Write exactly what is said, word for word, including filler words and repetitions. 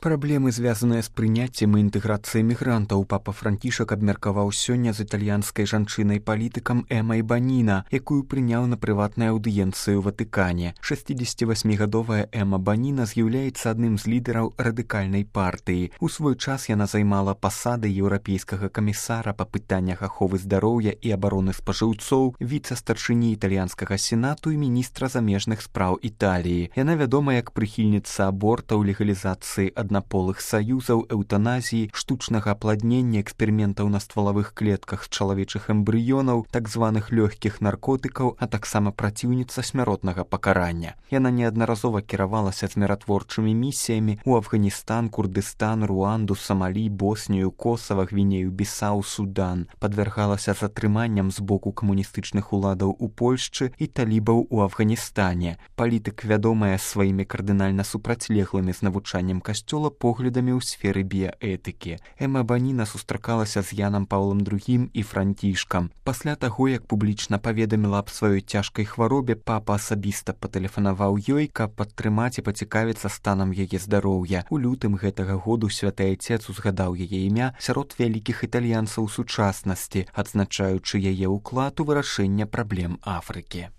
Праблемы, звязаныя з прыняццем і інтэграцыяй мігрантаў, папа Францішак абмеркаваў сёння з італьянскай жанчынай-палітыкам Эмай Баніна, якую прыняў на прыватнай аўдыенцыі ў Ватыкане. шэсцідзесяцівасьмігадовая Эма Баніна з'яўляецца адным з лідараў радыкальнай партыі. У свой час яна займала пасады еўрапейскага камісара па пытаннях аховы здароўя і абароны спажыўцоў, віцэ-старшыні італьянскага сенату і міністра замежных спраў Італіі. Яна вядома як прыхільніца абортаў, легалізацыі аднаполых саюзаў, эўтаназіі, штучнага апладнення, эксперыментаў на ствалавых клетках з чалавечых эмбрыёнаў, так званых лёгкіх наркотыкаў, а таксама праціўніца смяротнага пакарання. Яна неаднаразова кіравалася з міратворчымі місіямі ў Афганістан, Курдыстан, Руанду, Самалі, Боснію, Косава, Гвінею, Бісау, Судан. Падвяргалася затрыманням з боку камуністычных уладаў у Польшчы і талібаў у Афганістане. Палітык вядомая сваімі кардынальна супрацьлеглымі з навучаннем касцёла поглядамі ў сферы біяэтыкі. Эма Баніна сустракалася з Янам Паўлам другім і Францішкам. Пасля таго, як публічна паведаміла аб сваёй цяжкай хваробе, папа асабіста патэлефанаваў ёй, каб падтрымаць і пацікавіцца станам яе здароўя. У лютым гэтага году святы айцец узгадаў яе імя сярод вялікіх італьянцаў сучаснасці, адзначаючы яе ўклад у вырашэнне праблем Афрыкі.